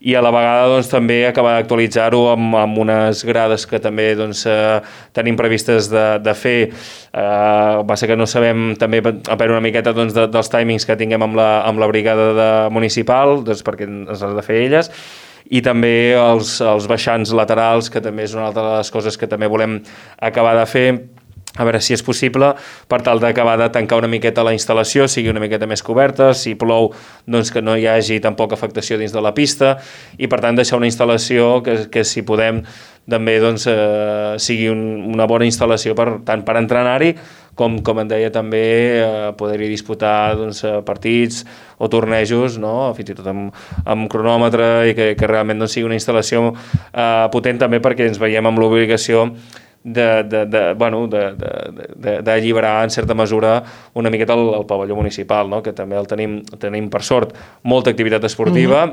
i a la vegada doncs, també acabar d'actualitzar-ho amb unes grades que també doncs, tenim previstes de fer. Va ser que no sabem també a veure una miqueta doncs, dels timings que tinguem amb la brigada municipal, doncs, perquè ens has de fer elles, i també els baixants laterals, que també és una altra de les coses que també volem acabar de fer, a veure si és possible, per tal d'acabar de tancar una miqueta la instal·lació, sigui una miqueta més coberta, si plou doncs que no hi hagi tampoc afectació dins de la pista, i per tant deixar una instal·lació que si podem també doncs, sigui una bona instal·lació tant per entrenar-hi com em deia també poder-hi disputar doncs, partits o tornejos, no? Fins i tot amb cronòmetre, i que realment doncs, sigui una instal·lació potent també, perquè ens veiem amb l'obligació d'alliberar en certa mesura una miqueta el pavelló municipal, no? Que també el tenim per sort molta activitat esportiva,